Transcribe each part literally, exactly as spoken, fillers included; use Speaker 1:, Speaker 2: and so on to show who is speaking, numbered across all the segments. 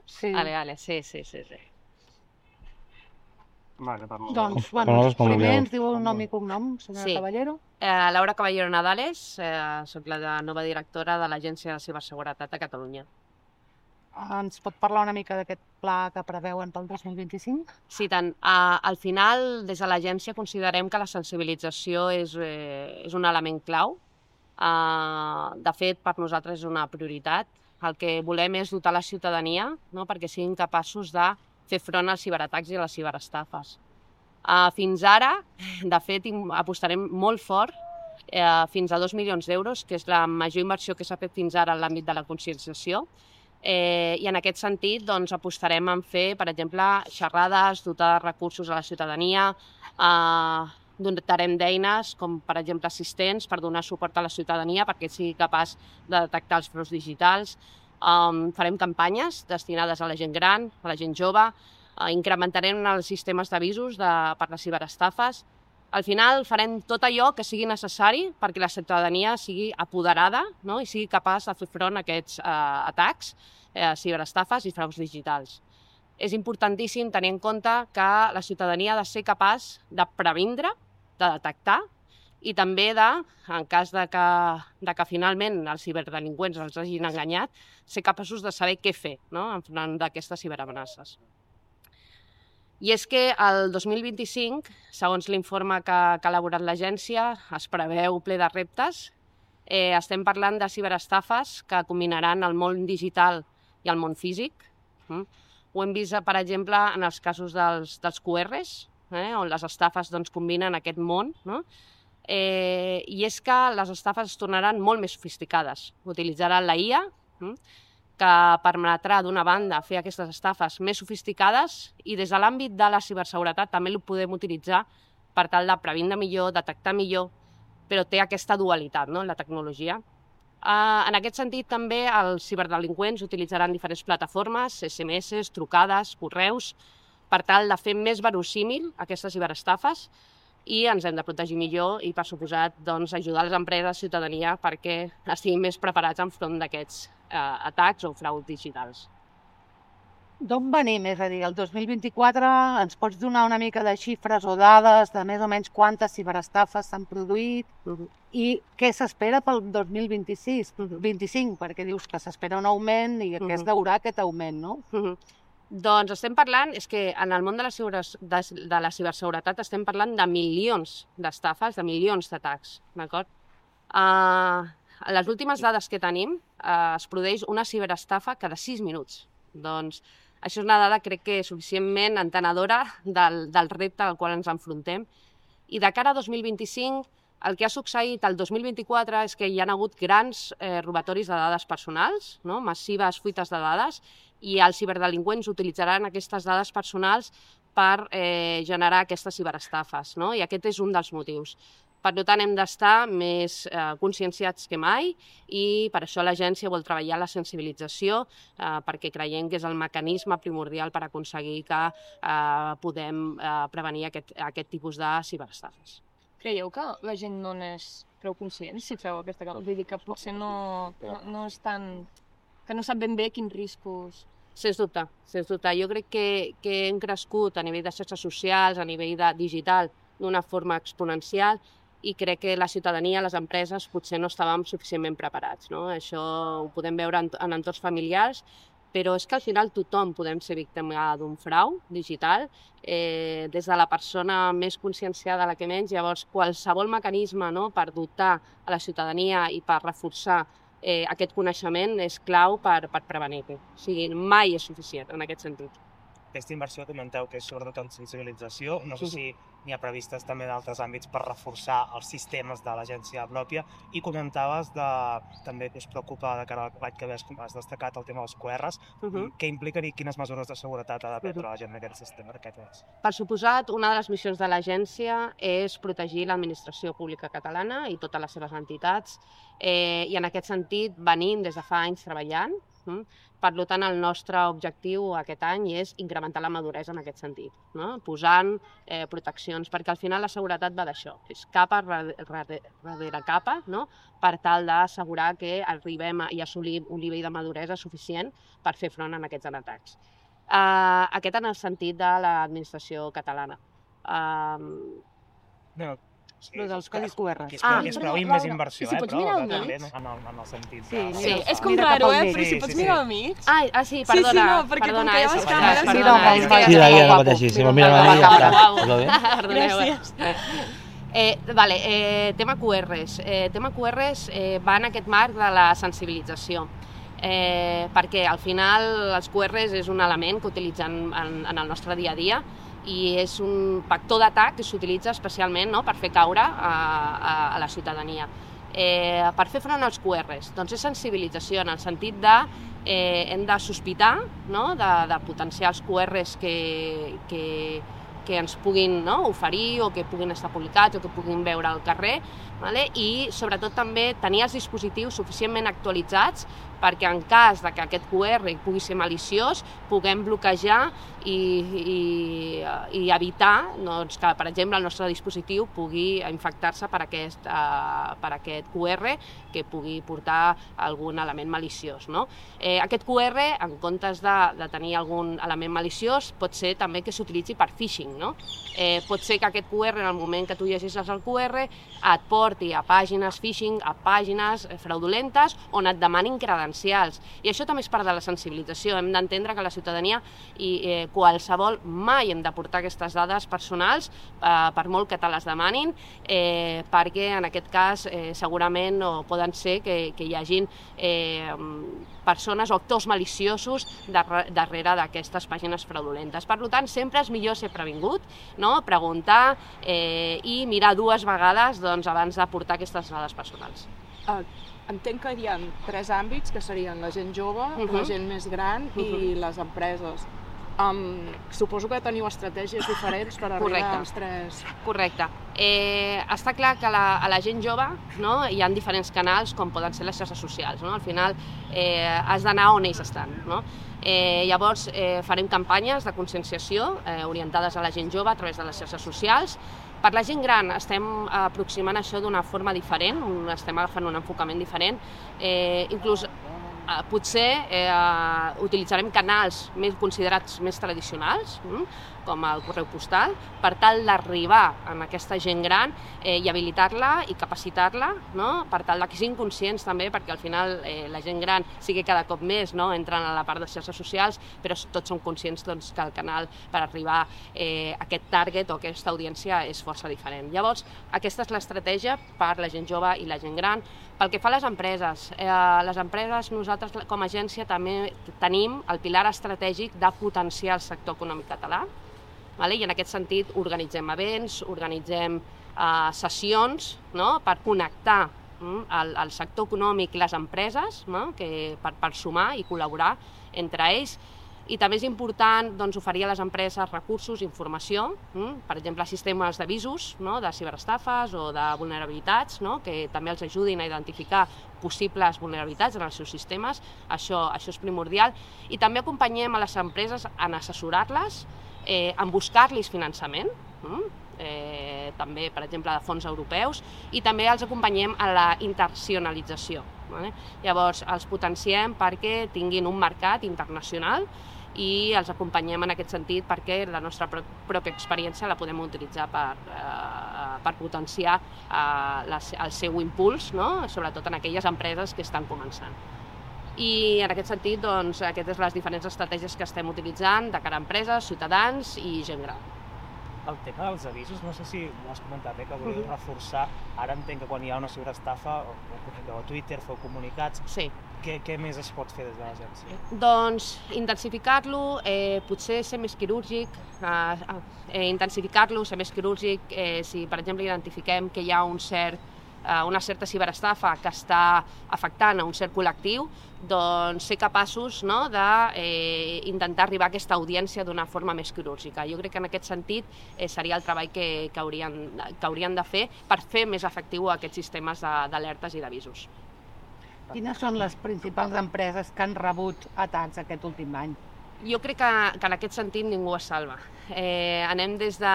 Speaker 1: Sí.
Speaker 2: Vale, vale, sí, sí, sí. sí.
Speaker 3: Vale, per
Speaker 1: Doncs,
Speaker 4: Com
Speaker 1: bueno,
Speaker 4: nosaltres com
Speaker 1: primer
Speaker 4: vulgueu.
Speaker 1: ens diu el nom i cognom, senyora
Speaker 2: Sí.
Speaker 1: Caballero.
Speaker 2: Eh, Laura Caballero Nadales, eh, soc la nova directora de l'Agència de Ciberseguretat de Catalunya.
Speaker 1: Ens pot parlar una mica d'aquest pla que preveuen pel dos mil vint-i-cinc?
Speaker 2: Sí, tant. Uh, al final, des de l'agència considerem que la sensibilització és, eh, és un element clau. Uh, de fet, per nosaltres és una prioritat. El que volem és dotar la ciutadania, no?, perquè siguin capaços de fer front als ciberatacs i a les ciberestafes. Uh, fins ara, de fet, apostarem molt fort, uh, fins a dos milions d'euros, que és la major inversió que s'ha fet fins ara en l'àmbit de la conscienciació. Eh, I en aquest sentit doncs, apostarem en fer, per exemple, xerrades, dotar de recursos a la ciutadania, eh, dotarem d'eines com, per exemple, assistents per donar suport a la ciutadania perquè sigui capaç de detectar els fraus digitals. Um, farem campanyes destinades a la gent gran, a la gent jove, uh, incrementarem els sistemes d'avisos de, per les ciberestafes. Al final farem tot allò que sigui necessari perquè la ciutadania sigui apoderada, no?, i sigui capaç de fer front a aquests eh, atacs, eh, ciberestafes i fraus digitals. És importantíssim tenir en compte que la ciutadania ha de ser capaç de previndre, de detectar i també de, en cas de que, de que finalment els ciberdelinqüents els hagin enganyat, ser capaços de saber què fer, no?, enfront d'aquestes ciberamenaces. I és que el dos mil vint-i-cinc, segons l'informe que, que ha elaborat l'agència, es preveu ple de reptes. Eh, estem parlant de ciberestafes que combinaran el món digital i el món físic. Mm? Ho hem vist, per exemple, en els casos dels, dels Q Rs, eh, on les estafes doncs, combinen aquest món, no? Eh, I és que les estafes es tornaran molt més sofisticades. Utilitzaran la I A, mm? que permetrà, d'una banda, fer aquestes estafes més sofisticades i des de l'àmbit de la ciberseguretat també ho podem utilitzar per tal de previndre millor, detectar millor, però té aquesta dualitat, no?, en la tecnologia. Uh, en aquest sentit, també els ciberdelinqüents utilitzaran diferents plataformes, S M S, trucades, correus, per tal de fer més verossímil aquestes ciberestafes i ens hem de protegir millor i, per suposat, doncs, ajudar les empreses, ciutadania, perquè estiguin més preparats enfront d'aquests eh, atacs o fraus digitals.
Speaker 1: D'on venim? És a dir, el dos mil vint-i-quatre ens pots donar una mica de xifres o dades de més o menys quantes ciberestafes s'han produït
Speaker 2: Uh-huh.
Speaker 1: i què s'espera pel dos mil vint-i-sis, vint-i-cinc, perquè dius que s'espera un augment i que es deurà aquest augment, no?
Speaker 2: Uh-huh. Doncs estem parlant, és que en el món de la, de, de la ciberseguretat estem parlant de milions d'estafes, de milions d'atacs, d'acord? Uh, a les últimes dades que tenim uh, es produeix una ciberestafa cada sis minuts. Doncs això és una dada, crec que suficientment entenedora del, del repte al qual ens enfrontem. I de cara a dos mil vint-i-cinc, el que ha succeït el dos mil vint-i-quatre és que hi ha hagut grans eh, robatoris de dades personals, no?, massives fuites de dades, i els ciberdelinqüents utilitzaran aquestes dades personals per eh, generar aquestes ciberestafes, no?, i aquest és un dels motius. Per tant, hem d'estar més eh, conscienciats que mai i per això l'agència vol treballar la sensibilització eh, perquè creiem que és el mecanisme primordial per aconseguir que eh, podem eh, prevenir aquest, aquest tipus de ciberestafes.
Speaker 5: Creieu que la gent no n'és prou conscient si feu aquesta cosa? Vull dir que potser no, no, no és tan... que no sap ben bé quins riscos...
Speaker 2: Sens dubte, sens dubte. Jo crec que, que hem crescut a nivell de xarxes socials, a nivell de digital, d'una forma exponencial i crec que la ciutadania, les empreses, potser no estàvem suficientment preparats, no? Això ho podem veure en, en entorns familiars, però és que al final tothom podem ser víctima d'un frau digital, eh, des de la persona més conscienciada a la que menys. Llavors, qualsevol mecanisme, no?, per dotar a la ciutadania i per reforçar eh, aquest coneixement és clau per, per prevenir-ho. O sigui, mai és suficient en aquest sentit.
Speaker 3: Aquesta inversió comenteu que és sobretot en sensibilització. No sé si n'hi ha previstes també d'altres àmbits per reforçar els sistemes de l'agència pròpia. I comentaves de, també que us preocupa de cara a l'any que ve, com has destacat, el tema dels Q Rs.
Speaker 2: Uh-huh.
Speaker 3: Què impliquen i quines mesures de seguretat ha de prendre la gent en aquest sistema? Aquest
Speaker 2: per suposat, una de les missions de l'agència és protegir l'administració pública catalana i totes les seves entitats. Eh, I en aquest sentit venim des de fa anys treballant Per tant, el nostre objectiu aquest any és incrementar la maduresa en aquest sentit, no? Posant eh, proteccions, perquè al final la seguretat va d'això, és capa darrere capa, no? Per tal d'assegurar que arribem a, i assolim un nivell de maduresa suficient per fer front a aquests atacs. Uh, aquest en el sentit de l'administració catalana. Uh,
Speaker 3: no, sí,
Speaker 1: Lo dels codis Q R.
Speaker 3: Que es
Speaker 2: Ah,
Speaker 3: es
Speaker 5: però,
Speaker 3: preveu
Speaker 5: Laura,
Speaker 3: més inversió,
Speaker 5: i si
Speaker 3: eh,
Speaker 5: pots
Speaker 3: però
Speaker 5: mirar al
Speaker 3: també
Speaker 5: mig?
Speaker 3: en el, en el sentit
Speaker 1: Sí,
Speaker 3: de...
Speaker 2: Sí.
Speaker 5: És com
Speaker 1: Mira cap
Speaker 5: raro,
Speaker 1: al
Speaker 5: eh?
Speaker 1: mig.
Speaker 5: Però si
Speaker 3: Sí,
Speaker 5: pots
Speaker 3: sí,
Speaker 5: mirar
Speaker 3: sí.
Speaker 5: al mig...
Speaker 2: Ah, ah, sí,
Speaker 5: Sí,
Speaker 2: perdona.
Speaker 5: sí, no, perquè com
Speaker 2: perdona,
Speaker 5: que hi ha
Speaker 2: és
Speaker 5: les
Speaker 2: que-
Speaker 5: càmeres,
Speaker 2: perdona,
Speaker 1: mira,
Speaker 2: és
Speaker 1: mira,
Speaker 2: que-
Speaker 1: mira,
Speaker 4: Mira, mira,
Speaker 1: guapo.
Speaker 4: mateix, si
Speaker 1: Mira,
Speaker 4: me'l mira
Speaker 1: guapo.
Speaker 4: a mi, ja està.
Speaker 2: Guau.
Speaker 4: Tot bé?
Speaker 2: Perdoneu.
Speaker 5: Gràcies.
Speaker 2: Eh, vale, eh, tema Q Rs. Eh, tema Q Rs eh, va en aquest marc de la sensibilització. Eh, perquè al final els Q Rs és un element que utilitzem en, en el nostre dia a dia i és un vector d'atac que s'utilitza especialment, no?, per fer caure a, a, a la ciutadania. Eh, per fer front als Q Rs, doncs és sensibilització en el sentit de eh, hem de sospitar, no?, de, de potencials Q Rs que, que, que ens puguin, no?, oferir o que puguin estar publicats o que puguin veure al carrer, vale? I sobretot també tenir els dispositius suficientment actualitzats perquè en cas de que aquest Q R pugui ser maliciós, puguem bloquejar i, i, i evitar, doncs, que, per exemple, el nostre dispositiu pugui infectar-se per, aquest, uh, per aquest Q R que pugui portar algun element maliciós, no? Eh, aquest Q R, en comptes de, de tenir algun element maliciós, pot ser també que s'utilitzi per phishing, no? Eh, pot ser que aquest Q R, en el moment que tu llegeixes el Q R, et porti a pàgines phishing, a pàgines fraudulentes, on et demanin credencials. I això també és part de la sensibilització. Hem d'entendre que la ciutadania i eh, qualsevol mai hem de portar aquestes dades personals, eh, per molt que te les demanin, eh, perquè en aquest cas eh, segurament no poden ser que, que hi hagin eh, persones o actors maliciosos darrere d'aquestes pàgines fraudulentes. Per tant, sempre és millor ser previngut, no?, preguntar eh, i mirar dues vegades doncs, abans de portar aquestes dades personals.
Speaker 6: Uh, entenc que hi ha tres àmbits, que serien la gent jove, uh-huh. la gent més gran uh-huh. i les empreses. Um, suposo que teniu estratègies diferents per arribar
Speaker 2: Correcte.
Speaker 6: als tres...
Speaker 2: Correcte. Eh, està clar que la, a la gent jove, no, hi ha diferents canals com poden ser les xarxes socials. No? Al final eh, has d'anar on ells estan. No? Eh, llavors eh, farem campanyes de conscienciació eh, orientades a la gent jove a través de les xarxes socials. Per la gent gran estem aproximant això d'una forma diferent, estem agafant un enfocament diferent, eh, inclús eh, potser eh, utilitzarem canals més considerats més tradicionals, hm? com el correu postal, per tal d'arribar a aquesta gent gran eh, i habilitar-la i capacitar-la, no? Per tal que siguin conscients també, perquè al final eh, la gent gran sí que cada cop més no? entren a la part de xarxes socials, però tots som conscients doncs, que el canal per arribar eh, a aquest target o aquesta audiència és força diferent. Llavors, aquesta és l'estratègia per la gent jove i la gent gran. Pel que fa a les empreses, eh, les empreses, nosaltres com a agència també tenim el pilar estratègic de potenciar el sector econòmic català, vale? I en aquest sentit organitzem events, organitzem eh, sessions, no? Per connectar mm, el, el sector econòmic i les empreses, no? Que, per, per sumar i col·laborar entre ells. I també és important doncs, oferir a les empreses recursos, informació, mm? per exemple, sistemes d'avisos, no? De ciberestafes o de vulnerabilitats, no? Que també els ajudin a identificar possibles vulnerabilitats en els seus sistemes, això, això és primordial. I també acompanyem a les empreses en assessorar-les, eh, en buscar-los finançament, mm? eh, també, per exemple, de fons europeus, i també els acompanyem a la internacionalització. Vale? Llavors, els potenciem perquè tinguin un mercat internacional i els acompanyem en aquest sentit perquè la nostra pròpia experiència la podem utilitzar per, eh, per potenciar eh, la, el seu impuls, no? Sobretot en aquelles empreses que estan començant. I en aquest sentit, doncs, aquestes són les diferents estratègies que estem utilitzant de cara a empreses, ciutadans i gent gran.
Speaker 3: El tema dels avisos, no sé si ho has comentat, eh, que voleu uh-huh. reforçar. Ara entenc que quan hi ha una ciberestafa, o, o Twitter, feu comunicats.
Speaker 2: Sí.
Speaker 3: Què, què més es pot fer des de l'agència?
Speaker 2: Doncs intensificar-lo, eh, potser ser més quirúrgic, eh, eh, intensificar-lo, ser més quirúrgic, eh, si per exemple identifiquem que hi ha un cert, eh, una certa ciberestafa que està afectant a un cert col·lectiu, doncs ser capaços no, d'intentar eh, arribar a aquesta audiència d'una forma més quirúrgica. Jo crec que en aquest sentit eh, seria el treball que, que, haurien, que haurien de fer per fer més efectiu aquests sistemes d'alertes i d'avisos.
Speaker 1: Quines són les principals empreses que han rebut atacs aquest últim any?
Speaker 2: Jo crec que, que en aquest sentit ningú es salva. Eh, anem des de,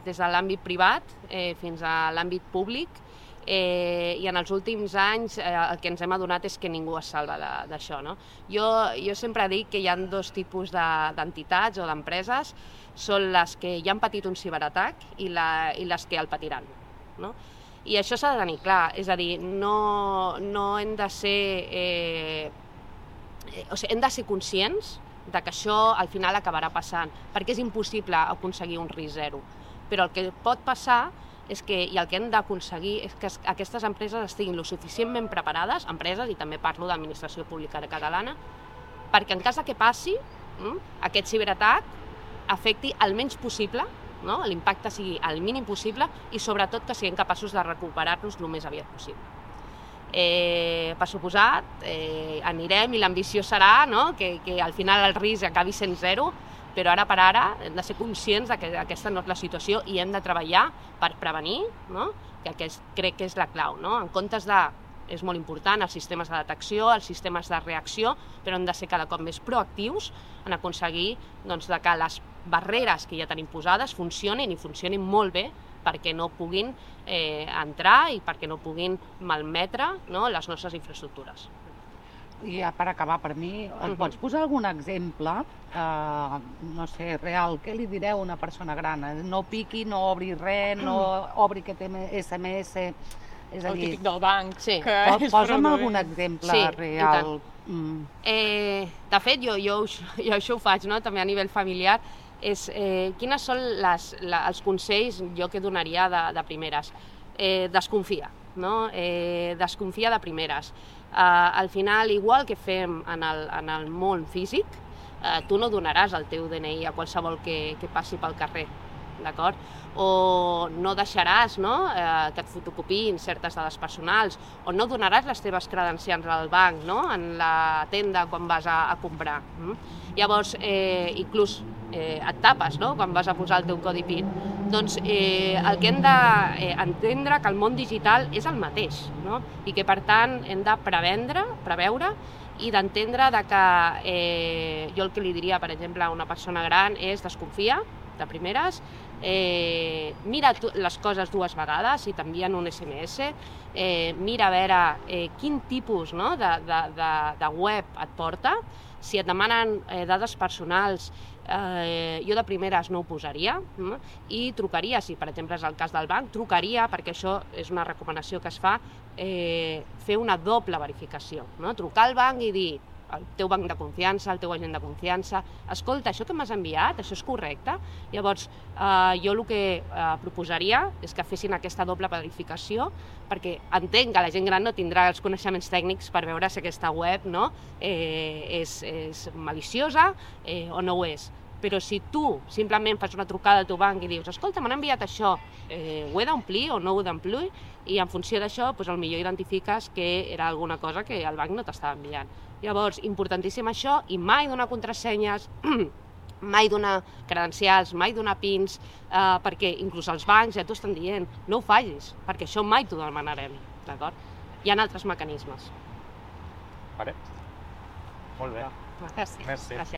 Speaker 2: des de l'àmbit privat eh, fins a l'àmbit públic eh, i en els últims anys eh, el que ens hem adonat és que ningú es salva d'això. No? Jo, jo sempre dic que hi ha dos tipus d'entitats o d'empreses, són les que ja han patit un ciberatac i, la, i les que el patiran. No? I això s'ha de tenir clar, és a dir, no, no hem de ser... Eh, o sigui, hem de ser conscients de que això al final acabarà passant, perquè és impossible aconseguir un risc zero. Però el que pot passar és que, i el que hem d'aconseguir és que aquestes empreses estiguin lo suficientment preparades, empreses, i també parlo d'administració pública catalana, perquè en cas de que passi, aquest ciberatac afecti el menys possible, no? L'impacte sigui el mínim possible i sobretot que siguem capaços de recuperar-nos el més aviat possible. Eh, per suposat, eh, anirem i l'ambició serà no? que, que al final el risc acabi sent zero, però ara per ara hem de ser conscients de que aquesta no és la situació i hem de treballar per prevenir, no? que aquest crec que és la clau. No? En comptes de, és molt important, els sistemes de detecció, els sistemes de reacció, però hem de ser cada cop més proactius en aconseguir doncs, de que les barreres que ja tenim posades funcionin i funcionin molt bé perquè no puguin eh, entrar i perquè no puguin malmetre no, les nostres infraestructures.
Speaker 1: I ja per acabar, per mi, em
Speaker 2: Mhm.
Speaker 1: pots posar algun exemple, eh, no sé, real, què li direu a una persona gran? No piqui, no obri res, no obri aquest esse eme esse, és a
Speaker 5: El
Speaker 1: dir,
Speaker 5: típic del banc.
Speaker 2: Sí.
Speaker 5: Que
Speaker 1: po-
Speaker 5: és
Speaker 1: posa'm
Speaker 5: fraudulent.
Speaker 1: algun exemple
Speaker 2: Sí, i
Speaker 1: real. Mm.
Speaker 2: Eh, de fet, jo, jo, jo això ho faig, no? també a nivell familiar, és eh, quines són les, la, els consells jo que donaria de, de primeres. Eh, desconfia, no? eh, desconfia de primeres. Eh, al final, igual que fem en el, en el món físic, eh, tu no donaràs el teu de ene i a qualsevol que, que passi pel carrer, d'acord? O no deixaràs no? eh, que et fotocopiïn certes dades personals, o no donaràs les teves credencials al banc, no? En la tenda quan vas a, a comprar. Mm? Llavors, eh, inclús eh, et tapes no? Quan vas a posar el teu codi PIN. Doncs eh, el que hem d'entendre eh, que el món digital és el mateix, no? I que per tant hem de prevendre, preveure i d'entendre que eh, jo el que li diria, per exemple, a una persona gran és desconfia de primeres, eh, mira tu, les coses dues vegades si t'envien un esse eme esse, eh, mira a veure eh, quin tipus no, de, de, de, de web et porta, si et demanen eh, dades personals, eh, jo de primeres no ho posaria, no? I trucaria, si per exemple és el cas del banc, trucaria, perquè això és una recomanació que es fa, eh, fer una doble verificació, no? Trucar al banc i dir, el teu banc de confiança, el teu agent de confiança, escolta, això que m'has enviat, això és correcte? Llavors, eh, jo el que eh, proposaria és que fessin aquesta doble verificació, perquè entenc que la gent gran no tindrà els coneixements tècnics per veure si aquesta web no, eh, és, és maliciosa eh, o no ho és. Però si tu simplement fas una trucada al teu banc i dius, escolta, m'han enviat això, eh, ho he d'omplir o no ho he d'omplir? I en funció d'això, doncs, potser identifiques que era alguna cosa que el banc no t'estava enviant. Llavors, importantíssim això, i mai donar contrasenyes, mai donar credencials, mai donar pins, eh, perquè inclús els bancs ja t'ho estan dient, no ho facis, perquè això mai t'ho demanarem, d'acord? Hi ha altres mecanismes.
Speaker 4: Vale. Molt bé.
Speaker 1: Gràcies.
Speaker 4: Merci.
Speaker 2: Gràcies.